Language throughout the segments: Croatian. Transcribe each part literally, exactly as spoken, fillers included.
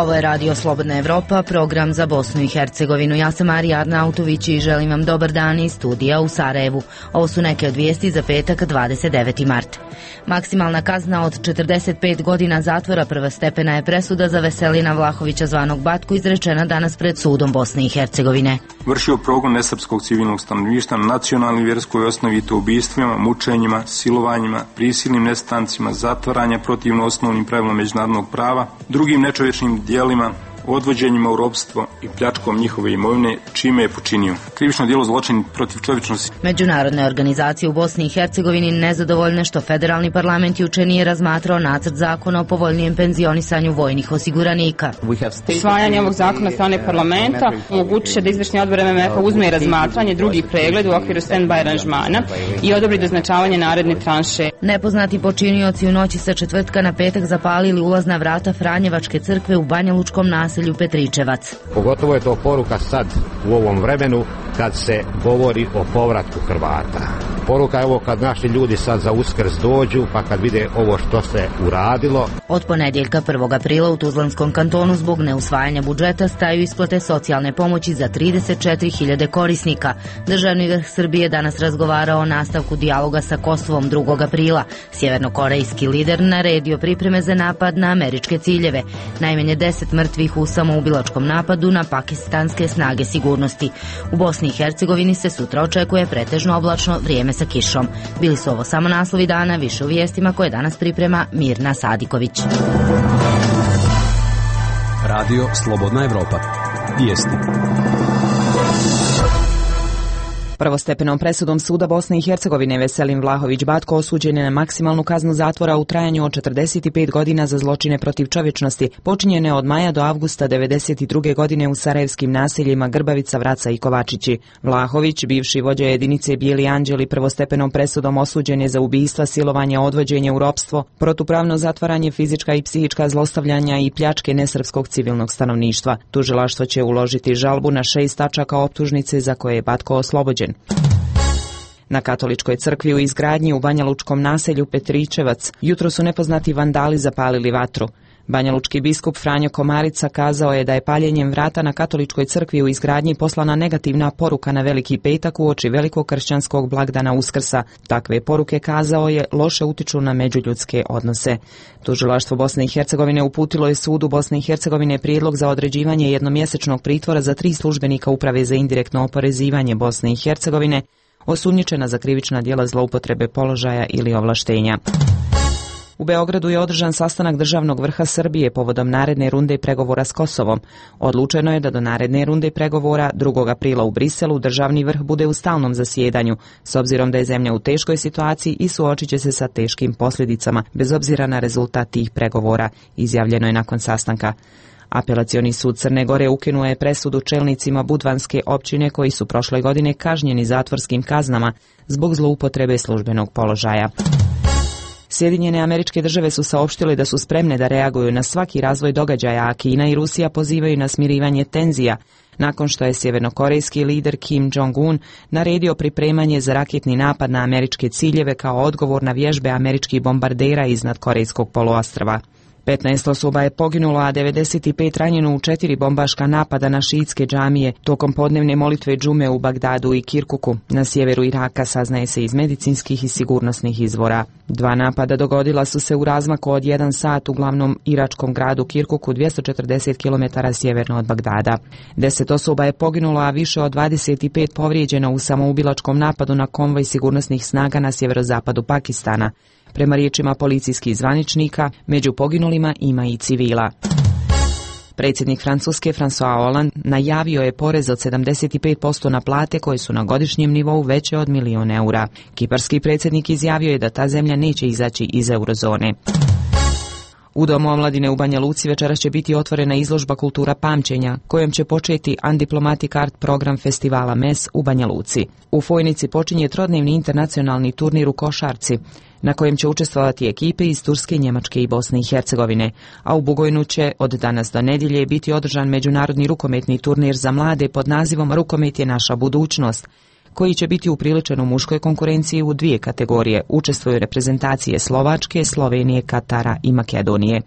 Ovo je Radio Slobodna Evropa, program za Bosnu i Hercegovinu. Ja sam Marija Arnautović i želim vam dobar dan iz studija u Sarajevu. Ovo su neke od vijesti za petak dvadeset deveti mart. Maksimalna kazna od četrdeset pet godina zatvora prvostepena je presuda za Veselina Vlahovića zvanog Batku izrečena danas pred sudom Bosne i Hercegovine. Vršio progon nesrpskog civilnog stanovništva na nacionalnoj i vjerskoj osnovi, to ubistvima, mučenjima, silovanjima, prisilnim nestancima, zatvaranja protivno osnovnim pravilima međunarodnog prava, drugim nečovječnim dijelima, odvođenjima u ropstvo i pljačkom njihove imovine, čime je počinio krivično djelo zločin protiv čovječnosti. Međunarodne organizacije u Bosni i Hercegovini nezadovoljne što federalni parlament juče nije razmatrao nacrt zakona o povoljnijem penzionisanju vojnih osiguranika. Usvajanje ovog zakona strane parlamenta omogućit će da izvršni odbor M M F-a uzme i razmatranje drugi pregled u okviru stand-by aranžmana i odobri doznačavanje naredne tranše. Nepoznati počinioci u noći sa četvrtka na petak zapalili ulazna vrata Franjevačke crkve u Banjalučkom naselju Petričevac. Pogotovo je to poruka sad u ovom vremenu kad se govori o povratku Hrvata. Poruka je ovo kad naši ljudi sad za Uskrs dođu, pa kad vide ovo što se uradilo. Od ponedjeljka prvog aprila u Tuzlanskom kantonu zbog neusvajanja budžeta staju isplate socijalne pomoći za trideset četiri hiljade korisnika. Državni vrh Srbije danas razgovarao o nastavku dijaloga sa Kosovom drugog aprila. Sjevernokorejski lider naredio pripreme za napad na američke ciljeve. Najmanje deset mrtvih u samoubilačkom napadu na pakistanske snage sigurnosti. U Bosni i Hercegovini se sutra očekuje pretežno oblačno vrijeme sa kišom. Bili su ovo samo naslovi dana, više u vijestima koje danas priprema Mirna Sadiković. Radio Slobodna Evropa. Vijesti. Prvostepenom presudom suda Bosne i Hercegovine Veselin Vlahović Batko osuđen je na maksimalnu kaznu zatvora u trajanju od četrdeset pet godina za zločine protiv čovječnosti, počinjene od maja do avgusta devedeset druge godine u sarajevskim naseljima Grbavica, Vraca i Kovačići. Vlahović, bivši vođa jedinice Bijeli Anđeli, prvostepenom presudom osuđen je za ubistva, silovanje, odvođenje u ropstvo, protupravno zatvaranje, fizička i psihička zlostavljanja i pljačke nesrpskog civilnog stanovništva. Tužilaštvo će uložiti žalbu na šest tačaka optužnice za koje je Batko oslobođen. Na katoličkoj crkvi u izgradnji u Banjalučkom naselju Petričevac jutro su nepoznati vandali zapalili vatru. Banjalučki biskup Franjo Komarica kazao je da je paljenjem vrata na katoličkoj crkvi u izgradnji poslana negativna poruka na Veliki petak uoči velikog kršćanskog blagdana Uskrsa. Takve poruke, kazao je, loše utiču na međuljudske odnose. Tužilaštvo Bosne i Hercegovine uputilo je sudu Bosne i Hercegovine prijedlog za određivanje jednomjesečnog pritvora za tri službenika Uprave za indirektno oporezivanje Bosne i Hercegovine, osumnjičena za krivična djela zloupotrebe položaja ili ovlaštenja. U Beogradu je održan sastanak državnog vrha Srbije povodom naredne runde pregovora s Kosovom. Odlučeno je da do naredne runde pregovora drugog aprila u Briselu državni vrh bude u stalnom zasjedanju, s obzirom da je zemlja u teškoj situaciji i suočit će se sa teškim posljedicama, bez obzira na rezultat tih pregovora, izjavljeno je nakon sastanka. Apelacioni sud Crne Gore ukinuo je presudu čelnicima Budvanske općine koji su prošle godine kažnjeni zatvorskim kaznama zbog zloupotrebe službenog položaja. Sjedinjene Američke Države su saopštile da su spremne da reaguju na svaki razvoj događaja, a Kina i Rusija pozivaju na smirivanje tenzija, nakon što je sjevernokorejski lider Kim Jong-un naredio pripremanje za raketni napad na američke ciljeve kao odgovor na vježbe američkih bombardera iznad Korejskog poluostrva. petnaest osoba je poginulo, a devedeset pet ranjeno u četiri bombaška napada na šiitske džamije tokom podnevne molitve džume u Bagdadu i Kirkuku. Na sjeveru Iraka, saznaje se iz medicinskih i sigurnosnih izvora. Dva napada dogodila su se u razmaku od jedan sat u glavnom iračkom gradu Kirkuku, dvjesto četrdeset kilometara sjeverno od Bagdada. Deset osoba je poginulo, a više od dvadeset pet povrijeđeno u samoubilačkom napadu na konvoj sigurnosnih snaga na sjeverozapadu Pakistana. Prema riječima policijskih zvaničnika, među poginulima ima i civila. Predsjednik Francuske François Hollande najavio je porez od sedamdeset pet posto na plate koje su na godišnjem nivou veće od milion eura. Kiparski predsjednik izjavio je da ta zemlja neće izaći iz eurozone. U Domu omladine u Banja Luci večeras će biti otvorena izložba Kultura pamćenja, kojom će početi Undiplomatic Art program festivala M E S u Banja Luci. U Fojnici počinje trodnevni internacionalni turnir u košarci, na kojem će učestvovati ekipe iz Turske, Njemačke i Bosne i Hercegovine, a u Bugojnu će od danas do nedjelje biti održan međunarodni rukometni turnir za mlade pod nazivom Rukomet je naša budućnost, koji će biti upriličen u muškoj konkurenciji u dvije kategorije. Učestvuju reprezentacije Slovačke, Slovenije, Katara i Makedonije.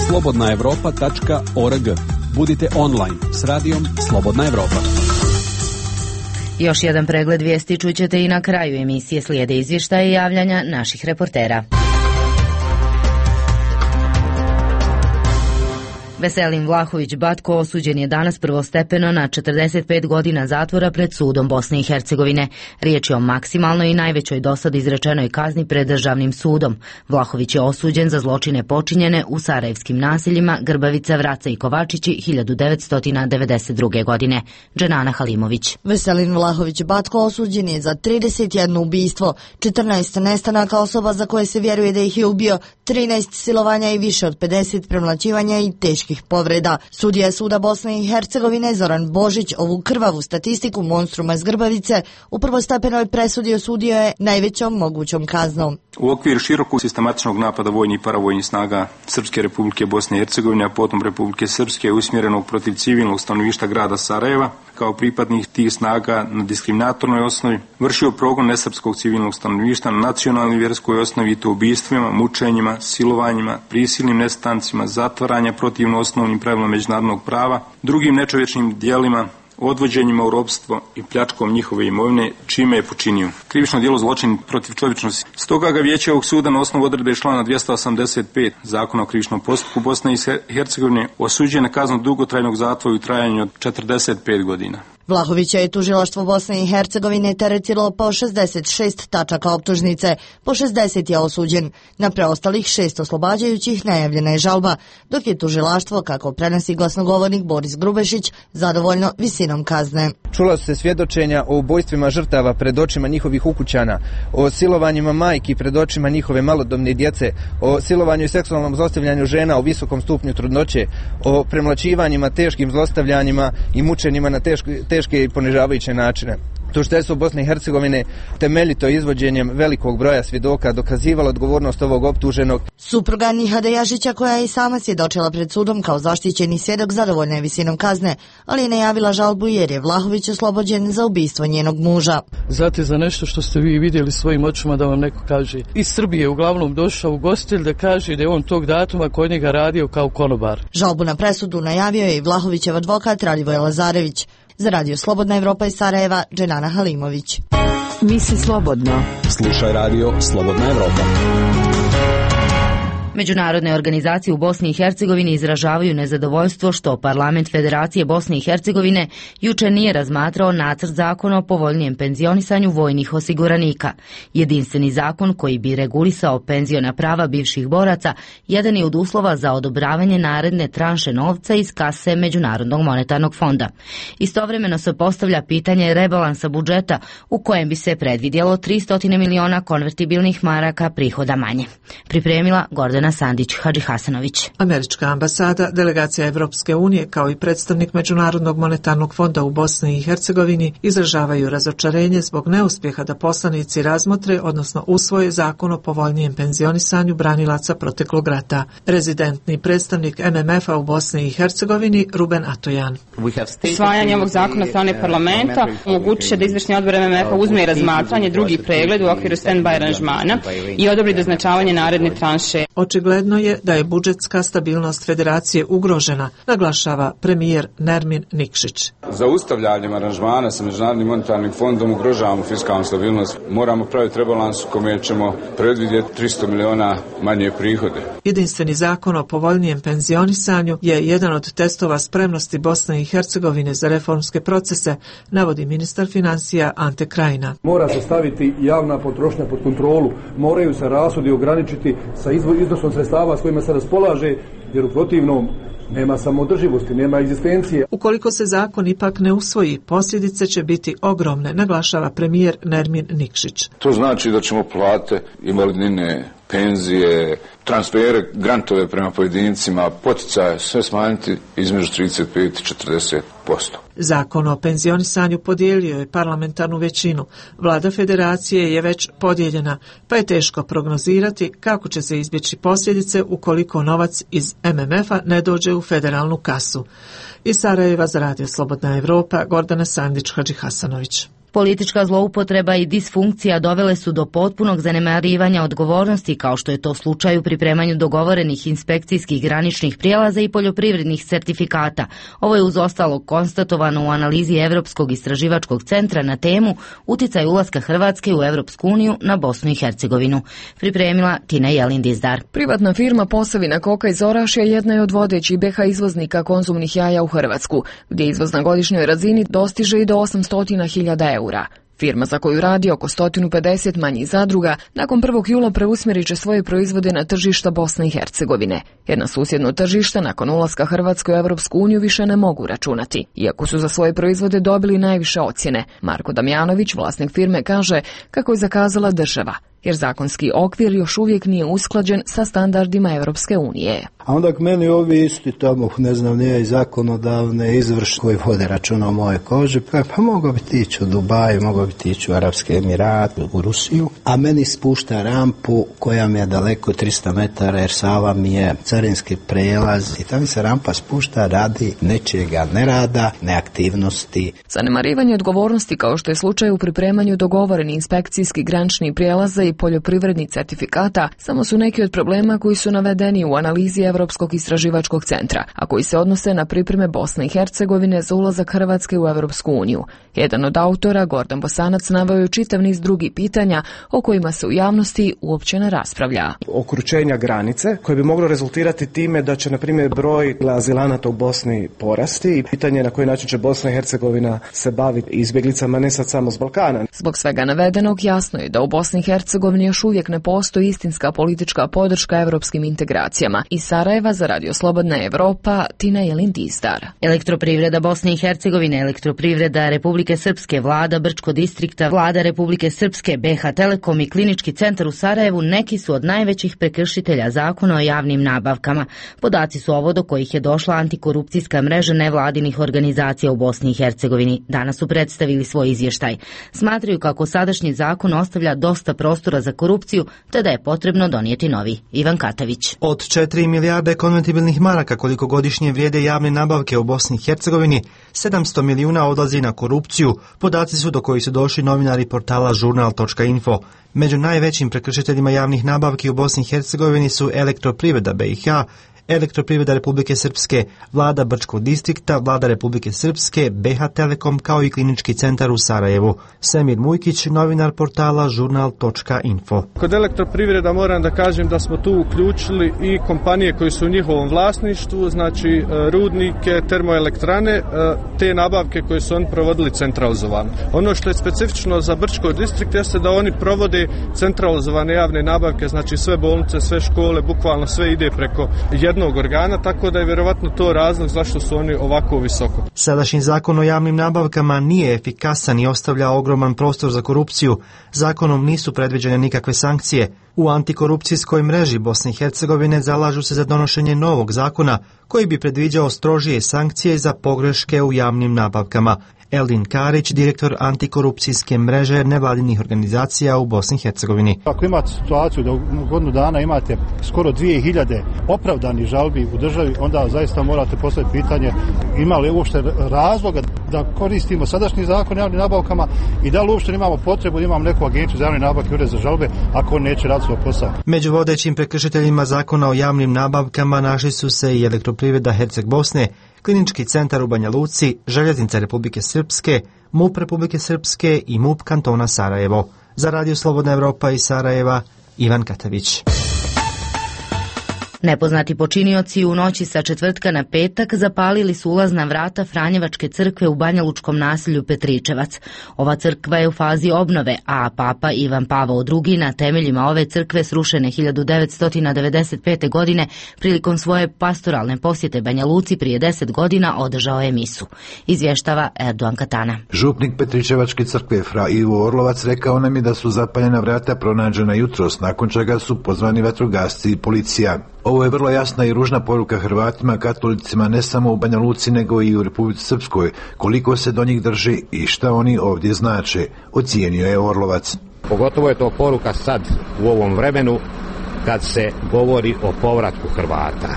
slobodna evropa tačka org. Budite online s radijom Slobodna Evropa. Još jedan pregled vijesti čućete i na kraju emisije, slijede izvještaje i javljanja naših reportera. Veselin Vlahović Batko osuđen je danas prvostepeno na četrdeset pet godina zatvora pred sudom Bosne i Hercegovine. Riječ je o maksimalnoj i najvećoj dosad izrečenoj kazni pred državnim sudom. Vlahović je osuđen za zločine počinjene u sarajevskim naseljima Grbavica, Vraca i Kovačići hiljadu devetsto devedeset druge. godine. Dženana Halimović. Veselin Vlahović Batko osuđen je za trideset jedno ubistvo, četrnaest nestanaka osoba za koje se vjeruje da ih je ubio, trinaest silovanja i više od pedeset premlaćivanja i teških povreda. Sudija suda Bosne i Hercegovine Zoran Božić ovu krvavu statistiku monstruma iz Grbavice u prvostepenoj presudi osudio je najvećom mogućom kaznom. U okviru širokog sistematičnog napada vojnih i paravojnih snaga Srpske Republike Bosne i Hercegovine, a potom Republike Srpske, usmjerenog protiv civilnog stanovništva grada Sarajeva, kao pripadnih tih snaga na diskriminatornoj osnovi, vršio progon nesrpskog civilnog stanovništva na nacionalnoj i vjerskoj osnovi, i to ubistvima, mučenjima, silovanjima, prisilnim nestancima, zatvaranja protivno osnovnim pravilima međunarodnog prava, drugim nečovječnim djelima, odvođenjima u ropstvo i pljačkom njihove imovine, čime je počinio krivično djelo zločin protiv čovječnosti. Stoga ga vijeće ovog suda na osnovu odredbe člana dvjesto osamdeset pet Zakona o krivičnom postupku Bosne i Hercegovine osuđuje na kaznu dugotrajnog zatvora u trajanju od četrdeset pet godina. Vlahovića je tužilaštvo Bosne i Hercegovine teretilo po šezdeset šest tačaka optužnice, po šezdeset je osuđen. Na preostalih šest oslobađajućih najavljena je žalba, dok je tužilaštvo, kako prenosi glasnogovornik Boris Grubešić, zadovoljno visinom kazne. Čula su se svjedočenja o ubojstvima žrtava pred očima njihovih ukućana, o silovanjima majki pred očima njihove malodobne djece, o silovanju i seksualnom zlostavljanju žena u visokom stupnju trudnoće, o premlaćivanjima, teškim zlostavljanjima i mučenjima na teško, teške i ponižavajuće načine. Tužiteljstvo Bosne i Hercegovine temeljito izvođenjem velikog broja svjedoka dokazivalo odgovornost ovog optuženog. Supruga Nihada Jažića, koja je i sama svjedočila pred sudom kao zaštićeni svjedok, zadovoljna je visinom kazne, ali je najavila žalbu jer je Vlahović oslobođen za ubistvo njenog muža. Znate za nešto što ste vi vidjeli svojim očima da vam neko kaže. Iz Srbije uglavnom došao ugostitelj da kaže da je on tog datuma kod njega radio kao konobar. Žalbu na presudu najavio je i Vlahovićev advokat Radivoje Lazarević. Za radio Slobodna Evropa iz Sarajeva, Dženana Halimović. Misli slobodno. Slušaj radio Slobodna Evropa. Međunarodne organizacije u Bosni i Hercegovini izražavaju nezadovoljstvo što parlament Federacije Bosne i Hercegovine juče nije razmatrao nacrt zakona o povoljnijem penzionisanju vojnih osiguranika. Jedinstveni zakon koji bi regulisao penziona prava bivših boraca jedan je od uslova za odobravanje naredne tranše novca iz kase Međunarodnog monetarnog fonda. Istovremeno se postavlja pitanje rebalansa budžeta u kojem bi se predvidjelo tristo miliona konvertibilnih maraka prihoda manje. Pripremila Gordana Sandić Hadžihasanović. Američka ambasada, delegacija Evropske unije kao i predstavnik Međunarodnog monetarnog fonda u Bosni i Hercegovini izražavaju razočarenje zbog neuspjeha da poslanici razmotre, odnosno usvoje zakon o povoljnijem penzionisanju branilaca proteklog rata. Rezidentni predstavnik M M F-a u Bosni i Hercegovini Ruben Atojan. Usvajanje ovog zakona od strane parlamenta omogućit će da izvršni odbor M M F-a uzme razmatranje drugi pregled u okviru stand-by aranžmana i odobri doznačavanje naredne tranše. Očigledno je da je budžetska stabilnost federacije ugrožena, naglašava premijer Nermin Nikšić. Zaustavljanjem aranžmana sa Međunarodnim monetarnim fondom ugrožavamo fiskalnu stabilnost. Moramo praviti rebalans u kome ćemo predvidjeti tristo miliona manje prihode. Jedinstveni zakon o povoljnijem penzionisanju je jedan od testova spremnosti Bosne i Hercegovine za reformske procese, navodi ministar financija Ante Krajina. Mora se staviti javna potrošnja pod kontrolu, moraju se rashodi ograničiti sa iznosom sredstava s kojima se raspolaže, jer u protivnom nema samoodrživosti, nema egzistencije. Ukoliko se zakon ipak ne usvoji, posljedice će biti ogromne, naglašava premijer Nermin Nikšić. To znači da ćemo plate, invalidnine, penzije, transfere, grantove prema pojedincima, poticaje, sve smanjiti između trideset pet i četrdeset posto. Zakon o penzionisanju podijelio je parlamentarnu većinu. Vlada federacije je već podijeljena, pa je teško prognozirati kako će se izbjeći posljedice ukoliko novac iz M M F-a ne dođe u federalnu kasu. Iz Sarajeva za radio Slobodna Evropa, Gordana Sandić Hadžihasanović. Politička zloupotreba i disfunkcija dovele su do potpunog zanemarivanja odgovornosti, kao što je to slučaj u pripremanju dogovorenih inspekcijskih graničnih prijelaza i poljoprivrednih sertifikata. Ovo je uz ostalog konstatovano u analizi Evropskog istraživačkog centra na temu Uticaj ulaska Hrvatske u Evropsku uniju na Bosnu i Hercegovinu. Pripremila Tina Jelin-Dizdar. Privatna firma Posavina Koka iz Orašja jedna je od vodećih B H izvoznika konzumnih jaja u Hrvatsku, gdje izvoz na godišnjoj razini dostiže i do osamsto hiljada eura. Firma za koju radi oko sto pedeset manjih zadruga nakon prvog jula preusmjerit će svoje proizvode na tržišta Bosne i Hercegovine, jer na susjedno tržište nakon ulaska Hrvatske u Evropsku uniju više ne mogu računati, iako su za svoje proizvode dobili najviše ocjene. Marko Damjanović, vlasnik firme, kaže kako je zakazala država, jer zakonski okvir još uvijek nije usklađen sa standardima Evropske unije. A onda k meni ovi isti tamo, ne znam, nije i zakonodavne, izvršne koji vode računa o moje koži, pa, pa mogao bi tići u Dubaj, mogao bi tići u Arapske Emirate, u Rusiju, a meni spušta rampu koja mi je daleko tristo metara, jer Sava mi je carinski prelaz i tamo se rampa spušta radi nečega nerada, neaktivnosti. Zanemarivanje odgovornosti, kao što je slučaj u pripremanju dogovoreni inspekcijski granični prijelaza i poljoprivrednih certifikata, samo su neki od problema koji su navedeni u analizi Evropskog istraživačkog centra, a koji se odnose na pripreme Bosne i Hercegovine za ulazak Hrvatske u Evropsku uniju. Jedan od autora, Gordan Bosanac, naveo je čitav niz drugih pitanja o kojima se u javnosti uopće ne raspravlja. Okručenja granice, koje bi moglo rezultirati time da će, na primjer, broj azilanata u Bosni porasti i pitanje na koji način će Bosna i Hercegovina se baviti izbjeglicama, ne sad samo s Balkana. Zbog svega navedenog jasno je da u Bosni i Hercegovini još uvijek ne postoji istinska politička podrška evropskim integracijama. Iz Sarajeva za Radio Slobodna Evropa, Tina Jelin-Dizdar. Elektroprivreda Bosne i Hercegovine, Elektroprivreda Republike Srpske, Vlada Brčko distrikta, Vlada Republike Srpske, B H Telekom i Klinički centar u Sarajevu neki su od najvećih prekršitelja zakona o javnim nabavkama. Podaci su ovo do kojih je došla antikorupcijska mreža nevladinih organizacija u Bosni i Hercegovini. Danas su predstavili svoj izvještaj. Smatraju kako sadašnji zakon ostavlja dosta prostora za korupciju, te da je potrebno donijeti novi. Ivan Katavić. Od četiri milijarde konvertibilnih maraka koliko godišnje vrijede javne nabavke u Bosni i Hercegovini, sedamsto milijuna odlazi na korupciju. Podaci su do kojih su došli novinari portala žurnal točka info. Među najvećim prekršiteljima javnih nabavki u Bosni i Hercegovini su Elektroprivreda B i H, Elektroprivreda Republike Srpske, Vlada Brčkog distrikta, Vlada Republike Srpske, B H Telekom kao i Klinički centar u Sarajevu. Semir Mujkić, novinar portala žurnal točka info. Kod Elektroprivreda moram da kažem da smo tu uključili i kompanije koje su u njihovom vlasništvu, znači rudnike, termoelektrane, te nabavke koje su oni provodili centralizovano. Ono što je specifično za Brčkog distrikt jeste da oni provode centralizovane javne nabavke, znači sve bolnice, sve škole, bukvalno sve ide preko jednog organa, tako da je vjerovatno to razlog zašto su oni ovako visoko. Sadašnji zakon o javnim nabavkama nije efikasan i ostavlja ogroman prostor za korupciju. Zakonom nisu predviđene nikakve sankcije. U antikorupcijskoj mreži Bosne i Hercegovine zalažu se za donošenje novog zakona koji bi predviđao strožije sankcije za pogreške u javnim nabavkama. Eldin Karić, direktor antikorupcijske mreže nevladinih organizacija u Bosni i Hercegovini. Ako imate situaciju da u godinu dana imate skoro dvije hiljade opravdanih žalbi u državi, onda zaista morate postaviti pitanje ima li uopšte razloga da koristimo sadašnji zakon o javnim nabavkama i da li uopšte imamo potrebu da imamo neku agenciju za javne nabavke, ured za žalbe, ako on neće raditi svoj posao. Među vodećim prekršiteljima zakona o javnim nabavkama našli su se i Elektroprivreda Herceg Bosne, Klinički centar u Banja Luci, Željeznica Republike Srpske, M U P Republike Srpske i M U P kantona Sarajevo. Za Radio Slobodna Evropa iz Sarajeva, Ivan Katavić. Nepoznati počinioci u noći sa četvrtka na petak zapalili su ulazna vrata Franjevačke crkve u banjalučkom naselju Petričevac. Ova crkva je u fazi obnove, a papa Ivan Pavao drugi na temeljima ove crkve srušene hiljadu devetsto devedeset pete. godine prilikom svoje pastoralne posjete Banja Luci prije deset godina održao je misu. Izvještava Erdogan Katana. Župnik Petričevačke crkve fra Ivo Orlovac rekao nam je da su zapaljena vrata pronađena jutros, nakon čega su pozvani vatrogasci i policija. Ovo je vrlo jasna i ružna poruka Hrvatima, katolicima ne samo u Banja Luci nego i u Republici Srpskoj, koliko se do njih drži i šta oni ovdje znače, ocijenio je Orlovac. Pogotovo je to poruka sad u ovom vremenu kad se govori o povratku Hrvata.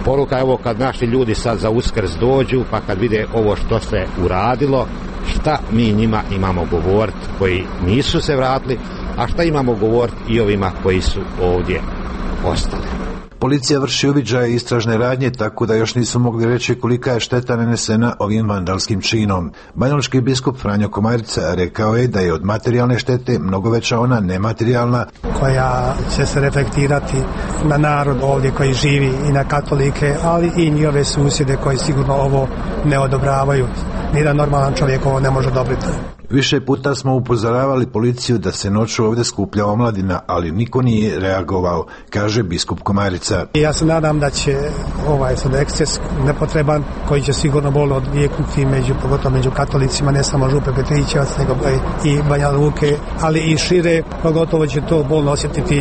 Poruka je ovo kad naši ljudi sad za Uskrs dođu, pa kad vide ovo što se uradilo, šta mi njima imamo govoriti koji nisu se vratili, a šta imamo govoriti i ovima koji su ovdje ostali. Policija vrši uviđaje i istražne radnje, tako da još nisu mogli reći kolika je šteta nanesena ovim vandalskim činom. Banjalučki biskup Franjo Komarica rekao je da je od materijalne štete mnogo veća ona nematerijalna, koja će se reflektirati na narod ovdje koji živi i na katolike, ali i njihove susjede koji sigurno ovo ne odobravaju. Nijedan normalan čovjek ovo ne može odobriti. Više puta smo upozoravali policiju da se noću ovdje skuplja omladina, ali niko nije reagovao, kaže biskup Komarica. Ja se nadam da će ovaj sad eksces nepotreban, koji će sigurno bolno odvijeknuti među, pogotovo među katolicima, ne samo Župe Petrićevac, nego i Banja Luke, ali i šire, pogotovo će to bolno osjetiti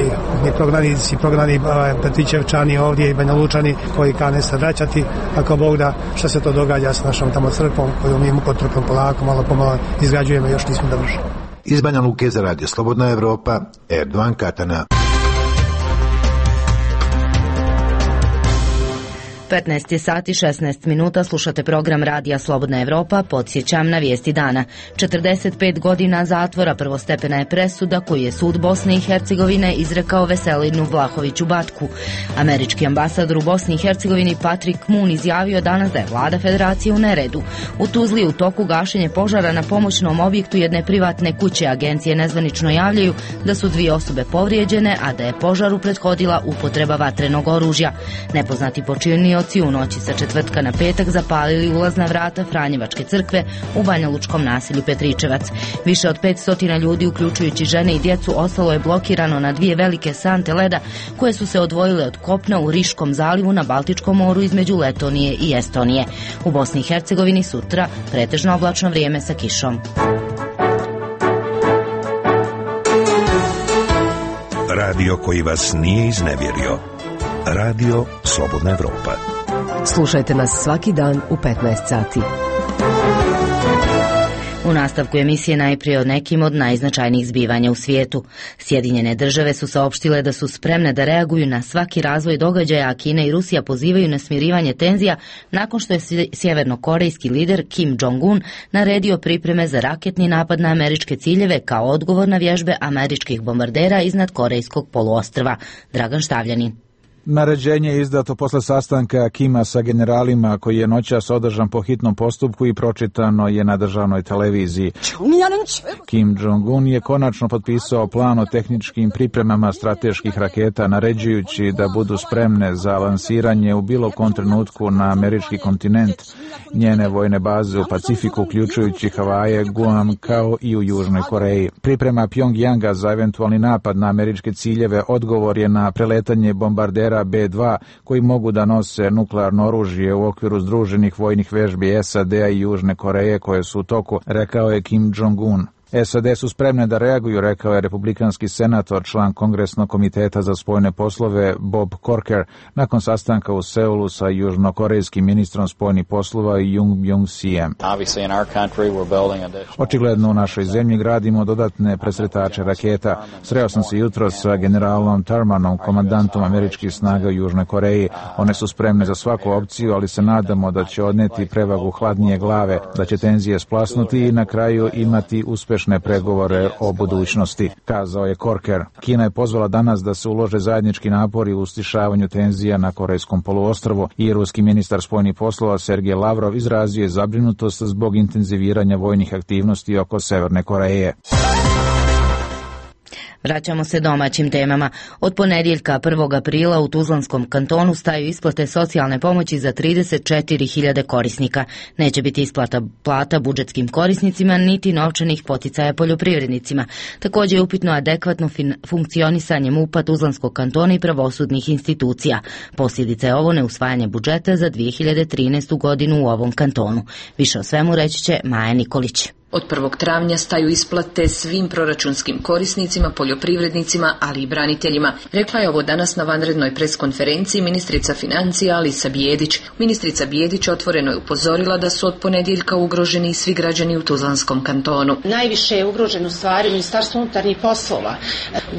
i prognanici, prognani Petrićevčani ovdje i Banja Lučani koji kane se vraćati, ako Bog da, što se to događa s našom tamo crkvom koju mi mukotrpom polako, malo pomalo izgrađujemo. Još nismo dovršili. Iz Banja Luke za Radio Slobodna Evropa, Erdovan Katana. petnaest je sati šesnaest minuta, slušate program Radija Slobodna Evropa, podsjećam na vijesti dana. četrdeset pet godina zatvora prvostepena je presuda koju je sud Bosne i Hercegovine izrekao Veselinu Vlahoviću Batku. Američki ambasador u Bosni i Hercegovini Patrick Moon izjavio danas da je vlada federacije u neredu. U Tuzli u toku gašenje požara na pomoćnom objektu jedne privatne kuće. Agencije nezvanično javljaju da su dvije osobe povrijeđene, a da je požaru prethodila upotreba vatrenog oružja. Nepoznati počinioci u noći sa četvrtka na petak zapalili ulazna vrata Franjevačke crkve u banjalučkom naselju Petričevac. Više od petsto ljudi, uključujući žene i djecu, ostalo je blokirano na dvije velike sante leda koje su se odvojile od kopna u Riškom zalivu na Baltičkom moru između Letonije i Estonije. U Bosni i Hercegovini sutra pretežno oblačno vrijeme sa kišom. Radio koji vas nije iznevjerio. Radio Slobodna Evropa. Slušajte nas svaki dan u petnaest sati. U nastavku emisije najprije o nekim od najznačajnijih zbivanja u svijetu. Sjedinjene države su saopštile da su spremne da reaguju na svaki razvoj događaja, a Kina i Rusija pozivaju na smirivanje tenzija nakon što je sjevernokorejski lider Kim Jong-un naredio pripreme za raketni napad na američke ciljeve kao odgovor na vježbe američkih bombardera iznad Korejskog poluostrva. Dragan Štavljanin. Naređenje je izdato posle sastanka Kima sa generalima koji je noćas održan po hitnom postupku i pročitano je na državnoj televiziji. Kim Jong-un je konačno potpisao plan o tehničkim pripremama strateških raketa, naređujući da budu spremne za lansiranje u bilo kom trenutku na američki kontinent. Njene vojne baze u Pacifiku, uključujući Havaje, Guam kao i u Južnoj Koreji. Priprema Pjongjanga za eventualni napad na američke ciljeve odgovor je na preletanje bombardera be dva koji mogu da nose nuklearno oružje u okviru združenih vojnih vežbi es a de a i Južne Koreje koje su u toku, rekao je Kim Jong-un. es a de su spremne da reaguju, rekao je republikanski senator, član Kongresnog komiteta za spoljne poslove Bob Corker, nakon sastanka u Seulu sa južnokorejskim ministrom spoljnih poslova Jung Byung-sijem. Očigledno u našoj zemlji gradimo dodatne presretače raketa. Sreo sam se jutro sa generalom Thurmanom, komandantom američkih snaga u Južnoj Koreji. One su spremne za svaku opciju, ali se nadamo da će odneti prevagu hladnije glave, da će tenzije splasnuti i na kraju imati uspješne pregovore o budućnosti, kazao je Corker. Kina je pozvala danas da se ulože zajednički napori u stišavanju tenzija na Korejskom poluostrvu i ruski ministar spoljnih poslova Sergej Lavrov izrazio je zabrinutost zbog intenziviranja vojnih aktivnosti oko Severne Koreje. Vraćamo se domaćim temama. Od ponedjeljka prvog aprila u Tuzlanskom kantonu staju isplate socijalne pomoći za trideset četiri hiljade korisnika. Neće biti isplata plata budžetskim korisnicima niti novčanih poticaja poljoprivrednicima. Također je upitno adekvatno funkcionisanje MUP-a Tuzlanskog kantona i pravosudnih institucija. Posljedica je ovo neusvajanje budžeta za dvije hiljade trinaestu godinu u ovom kantonu. Više o svemu reći će Maja Nikolić. Od prvog travnja staju isplate svim proračunskim korisnicima, poljoprivrednicima, ali i braniteljima. Rekla je ovo danas na vanrednoj preskonferenciji ministrica financija Alisa Bijedić. Ministrica Bijedić otvoreno je upozorila da su od ponedjeljka ugroženi svi građani u Tuzlanskom kantonu. Najviše je ugrožen u stvari Ministarstvo unutarnjih poslova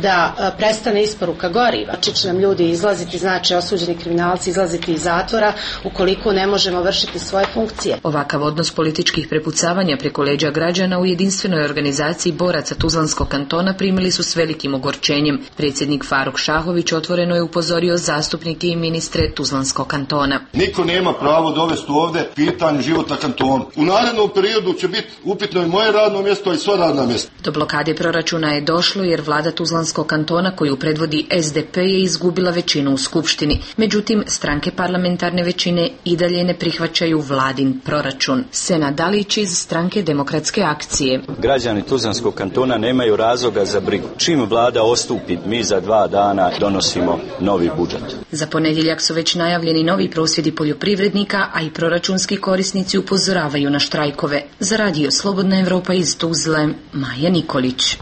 da prestane isporuka goriva. Će nam ljudi izlaziti, znači osuđeni kriminalci izlaziti iz zatvora ukoliko ne možemo vršiti svoje funkcije. Ovakav odnos političkih prepucavanja preko leđa građana u jedinstvenoj organizaciji boraca Tuzlanskog kantona primili su s velikim ogorčenjem. Predsjednik Faruk Šahović otvoreno je upozorio zastupnike i ministre Tuzlanskog kantona. Niko nema pravo dovesti ovdje pitanje života kantona. U narednom periodu će biti upitno i moje radno mjesto i sva radna mjesta. Do blokade proračuna je došlo jer vlada Tuzlanskog kantona koju predvodi S D P je izgubila većinu u skupštini. Međutim, stranke parlamentarne većine i dalje ne prihvaćaju vladin proračun. Sena Dalić iz stranke Demokratske akcije. Građani Tuzlanskog kantona nemaju razloga za brigu. Čim vlada ostupi, mi za dva dana donosimo novi budžet. Za ponedjeljak su već najavljeni novi prosvjedi poljoprivrednika, a i proračunski korisnici upozoravaju na štrajkove. Za radio Slobodna Evropa iz Tuzle, Maja Nikolić.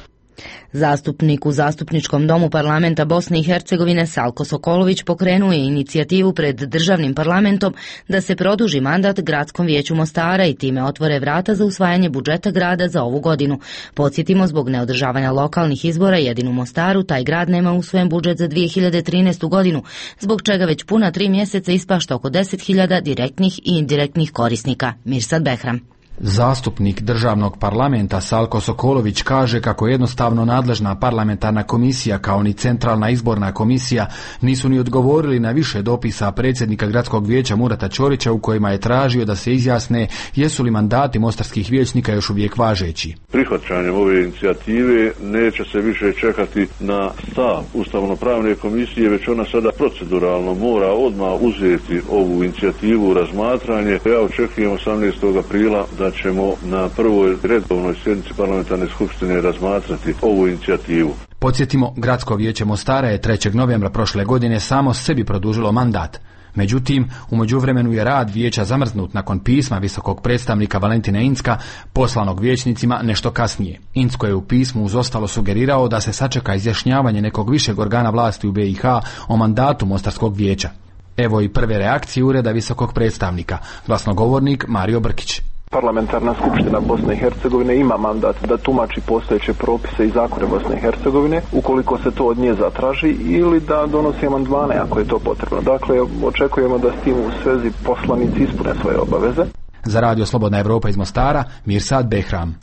Zastupnik u Zastupničkom domu parlamenta Bosne i Hercegovine Salko Sokolović pokrenuo je inicijativu pred državnim parlamentom da se produži mandat Gradskom vijeću Mostara i time otvore vrata za usvajanje budžeta grada za ovu godinu. Podsjetimo, zbog neodržavanja lokalnih izbora jedino u Mostaru taj grad nema usvojen budžet za dvije hiljade trinaestu godinu, zbog čega već puna tri mjeseca ispašta oko deset hiljada direktnih i indirektnih korisnika. Mirsad Behram. Zastupnik državnog parlamenta Salko Sokolović kaže kako jednostavno nadležna parlamentarna komisija kao ni centralna izborna komisija nisu ni odgovorili na više dopisa predsjednika gradskog vijeća Murata Ćorića u kojima je tražio da se izjasne jesu li mandati mostarskih vijećnika još uvijek važeći. Prihvaćanjem ove inicijative neće se više čekati na stav ustavno-pravne komisije, već ona sada proceduralno mora odmah uzeti ovu inicijativu u razmatranje. Ja očekujem osamnaestog aprila da ćemo na prvoj redovnoj sjednici parlamentarne skupštine razmatrati ovu inicijativu. Podsjetimo, Gradsko vijeće Mostara je trećeg novembra prošle godine samo sebi produžilo mandat. Međutim, u međuvremenu je rad vijeća zamrznut nakon pisma visokog predstavnika Valentina Incka poslanog vijećnicima nešto kasnije. Incko je u pismu uz ostalo sugerirao da se sačeka izjašnjavanje nekog višeg organa vlasti u B i H o mandatu Mostarskog vijeća. Evo i prve reakcije ureda visokog predstavnika, glasnogovornik Mario Brkić. Parlamentarna skupština Bosne i Hercegovine ima mandat da tumači postojeće propise i zakone Bosne i Hercegovine ukoliko se to od nje zatraži ili da donosi amandmane ako je to potrebno. Dakle, očekujemo da s tim u svezi poslanici ispune svoje obaveze. Za radio Slobodna Evropa iz Mostara, Mirsad Behram.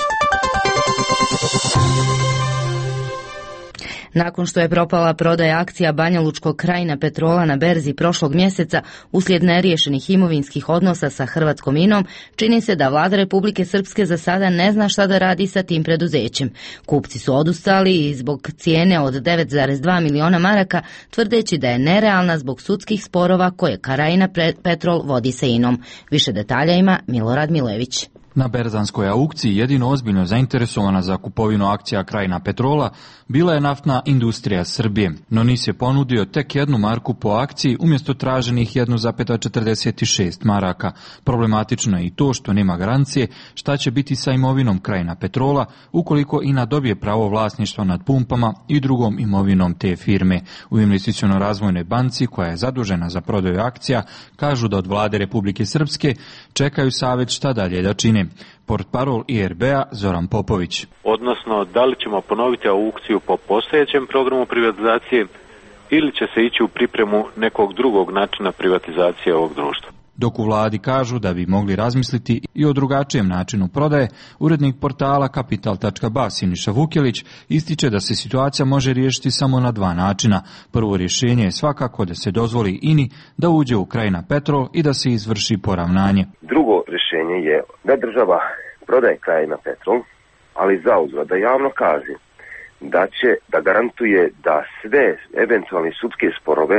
Nakon što je propala prodaja akcija Banjalučkog Krajina Petrola na berzi prošlog mjeseca uslijed neriješenih imovinskih odnosa sa Hrvatskom Inom, čini se da vlada Republike Srpske za sada ne zna šta da radi sa tim preduzećem. Kupci su odustali i zbog cijene od devet zarez dva miliona maraka, tvrdeći da je nerealna zbog sudskih sporova koje Krajina Petrol vodi sa Inom. Više detalja ima Milorad Milević. Na berzanskoj aukciji jedino ozbiljno zainteresovana za kupovinu akcija Krajina Petrola bila je naftna industrija Srbije, no N I S je ponudio tek jednu marku po akciji umjesto traženih jedan zarez četrdeset šest maraka. Problematično je i to što nema garancije šta će biti sa imovinom Krajina Petrola ukoliko INA dobije pravo vlasništva nad pumpama i drugom imovinom te firme. U Investiciono-razvojnoj banci koja je zadužena za prodaju akcija kažu da od vlade Republike Srpske čekaju savjet šta dalje da čine. Portparol I R B-a Zoran Popović. Odnosno, da li ćemo ponoviti aukciju po postojećem programu privatizacije ili će se ići u pripremu nekog drugog načina privatizacije ovog društva. Dok u vladi kažu da bi mogli razmisliti i o drugačijem načinu prodaje, urednik portala kapital tačka ba Siniša Vukjelić ističe da se situacija može riješiti samo na dva načina. Prvo rješenje je svakako da se dozvoli INI da uđe u Krajina Petrol i da se izvrši poravnanje. Drugo rješenje je da država prodaje Krajina Petrol, ali zauzvrat da javno kaže da će da garantuje da sve eventualne sudske sporove,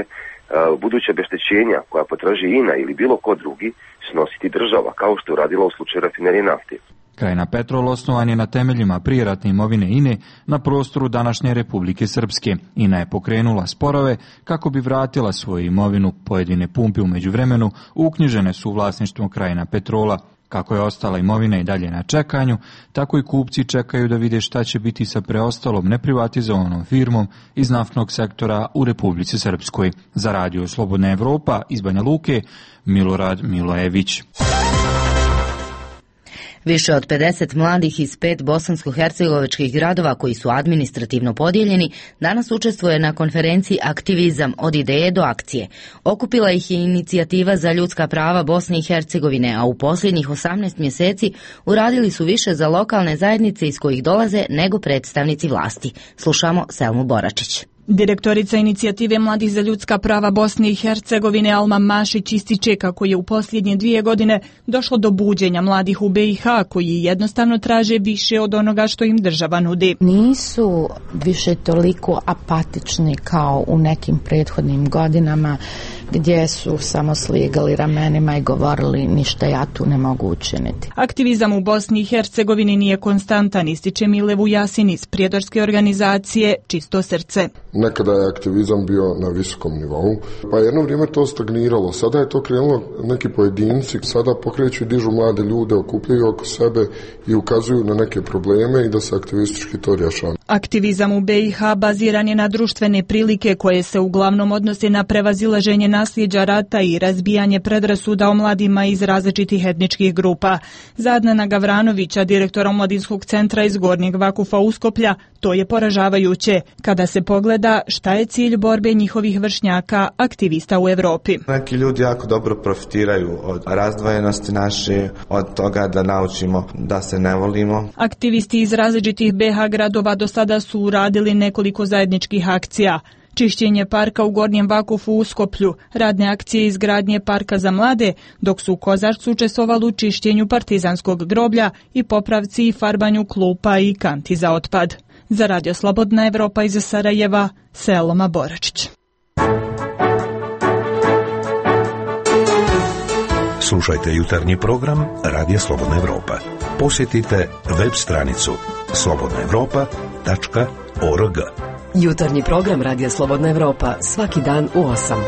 buduće obeštećenja koja potraži INA ili bilo ko drugi snositi država, kao što je uradila u slučaju rafinerije nafte. Krajina Petrol osnovan je na temeljima prijeratne imovine INE na prostoru današnje Republike Srpske. INA je pokrenula sporove kako bi vratila svoju imovinu. Pojedine pumpe u međuvremenu uknjižene su u vlasništvom Krajina Petrola. Kako je ostala imovina i dalje na čekanju, tako i kupci čekaju da vide šta će biti sa preostalom neprivatizovanom firmom iz naftnog sektora u Republici Srpskoj. Za radio Slobodna Evropa iz Banja Luke, Milorad Milojević. Više od pedeset mladih iz pet bosansko-hercegovačkih gradova koji su administrativno podijeljeni danas učestvuje na konferenciji Aktivizam od ideje do akcije. Okupila ih je inicijativa za ljudska prava Bosne i Hercegovine, a u posljednjih osamnaest mjeseci uradili su više za lokalne zajednice iz kojih dolaze nego predstavnici vlasti. Slušamo Selmu Boračić. Direktorica inicijative Mladih za ljudska prava Bosne i Hercegovine Alma Mašić ističe kako je u posljednje dvije godine došlo do buđenja mladih u be i ha koji jednostavno traže više od onoga što im država nudi. Nisu više toliko apatični kao u nekim prethodnim godinama gdje su samo sligali ramenima i govorili ništa ja tu ne mogu učiniti. Aktivizam u Bosni i Hercegovini nije konstantan, ističe Mile Vujasin iz prijedorske organizacije Čisto srce. Nekada je aktivizam bio na visokom nivou, pa jedno vrijeme to stagniralo. Sada je to krenulo neki pojedinci, sada pokreću i dižu mlade ljude, okupljaju oko sebe i ukazuju na neke probleme i da se aktivistički to rješava. Aktivizam u be i ha baziran je na društvene prilike koje se uglavnom odnose na prevazilaženje nasljeđa rata i razbijanje predrasuda o mladima iz različitih etničkih grupa. Za Adnana Gavranovića, direktora Omladinskog centra iz Gornjeg Vakufa Uskoplja, to je poražavajuće kada se pogleda šta je cilj borbe njihovih vršnjaka, aktivista u Europi. Neki ljudi jako dobro profitiraju od razdvojenosti naše, od toga da naučimo da se ne volimo. Aktivisti iz različitih be ha gradova do sada su uradili nekoliko zajedničkih akcija. Čišćenje parka u Gornjem Vakufu u Uskoplju, radne akcije izgradnje parka za mlade, dok su u Kozarcu učestvovali u čišćenju partizanskog groblja i popravci i farbanju klupa i kanti za otpad. Za Radio Slobodna Evropa iz Sarajeva, Selma Boračić. Slušajte jutarnji program Radija Slobodna Evropa. Posjetite web stranicu slobodna evropa tačka org. Jutarnji program Radija Slobodna Evropa svaki dan u osam.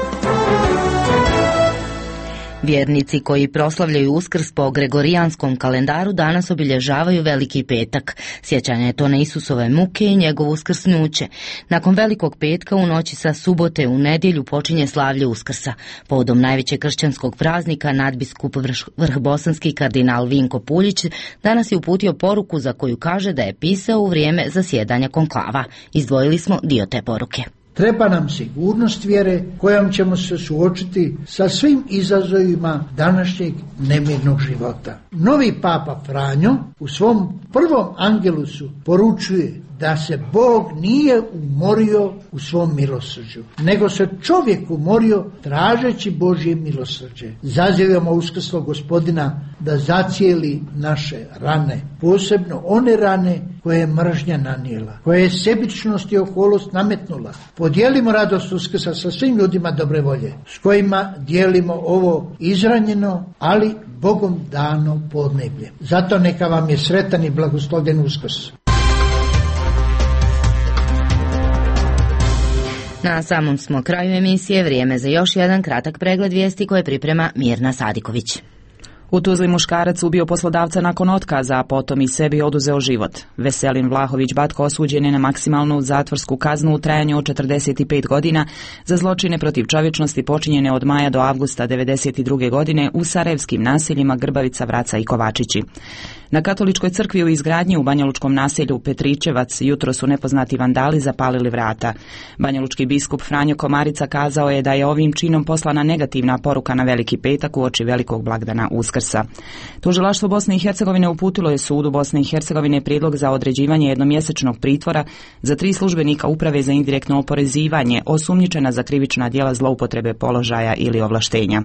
Vjernici koji proslavljaju Uskrs po gregorijanskom kalendaru danas obilježavaju Veliki petak. Sjećanje je to na Isusove muke i njegovo uskrsnuće. Nakon Velikog petka u noći sa subote u nedjelju počinje slavlje Uskrsa. Povodom najvećeg kršćanskog praznika nadbiskup vrhbosanski kardinal Vinko Puljić danas je uputio poruku za koju kaže da je pisao u vrijeme zasjedanja konklava. Izdvojili smo dio te poruke. Treba nam sigurnost vjere kojom ćemo se suočiti sa svim izazovima današnjeg nemirnog života. Novi papa Franjo u svom prvom angelusu poručuje da se Bog nije umorio u svom milosrđu, nego se čovjek umorio tražeći Božje milosrđe. Zazivamo uskrslog Gospodina da zacijeli naše rane, posebno one rane koje je mržnja nanijela, koje je sebičnost i oholost nametnula. Podijelimo radost Uskrsa sa svim ljudima dobre volje, s kojima dijelimo ovo izranjeno, ali Bogom dano podneblje. Zato neka vam je sretan i blagoslovljen Uskrs. Na samom smo kraju emisije, vrijeme za još jedan kratak pregled vijesti koje priprema Mirna Sadiković. U Tuzli muškarac ubio poslodavca nakon otkaza, a potom i sebi oduzeo život. Veselin Vlahović Batko osuđen je na maksimalnu zatvorsku kaznu u trajanju od četrdeset pet godina za zločine protiv čovječnosti počinjene od maja do avgusta devedeset druge godine u sarajevskim naseljima Grbavica, Vraca i Kovačići. Na katoličkoj crkvi u izgradnji u banjalučkom naselju Petričevac jutro su nepoznati vandali zapalili vrata. Banjalučki biskup Franjo Komarica kazao je da je ovim činom poslana negativna poruka na Veliki petak uoči velikog blagdana Uskrsa. Tužilaštvo Bosne i Hercegovine uputilo je sudu Bosne i Hercegovine prijedlog za određivanje jednomjesečnog pritvora za tri službenika uprave za indirektno oporezivanje osumnjičena za krivična djela zloupotrebe položaja ili ovlaštenja.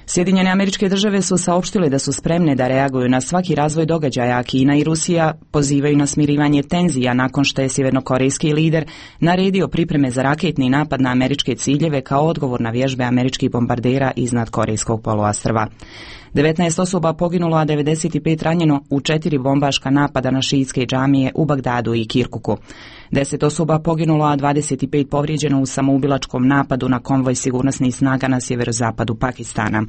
Sjedinjene Američke Države su saopštile da su spremne da reaguju na svaki razvoj događaja, a Kina i Rusija pozivaju na smirivanje tenzija nakon što je sjevernokorejski lider naredio pripreme za raketni napad na američke ciljeve kao odgovor na vježbe američkih bombardera iznad korejskog poluostrva. devetnaest osoba poginulo, a devedeset pet ranjeno u četiri bombaška napada na šiitske džamije u Bagdadu i Kirkuku. deset osoba poginulo, a dvadeset pet povrijeđeno u samoubilačkom napadu na konvoj sigurnosnih snaga na sjeverozapadu Pakistana.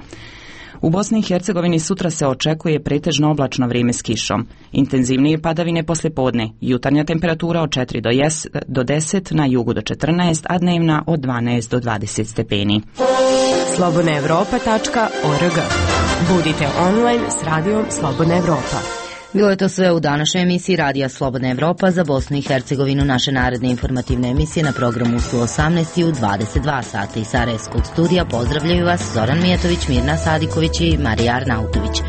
U Bosni i Hercegovini sutra se očekuje pretežno oblačno vrijeme s kišom. Intenzivnije padavine poslijepodne, jutarnja temperatura od četiri do deset, na jugu do četrnaest, a dnevna od dvanaest do dvadeset stepeni. slobodna evropa tačka org. Budite online s radijom Slobodna Evropa. Bilo je to sve u današnjoj emisiji Radija Slobodna Evropa za Bosnu i Hercegovinu. Naše naredne informativne emisije na programu su osamnaest i u dvadeset dva sata. Iz Sarajevskog studija pozdravljaju vas Zoran Mijetović, Mirna Sadiković i Marija Arnautović.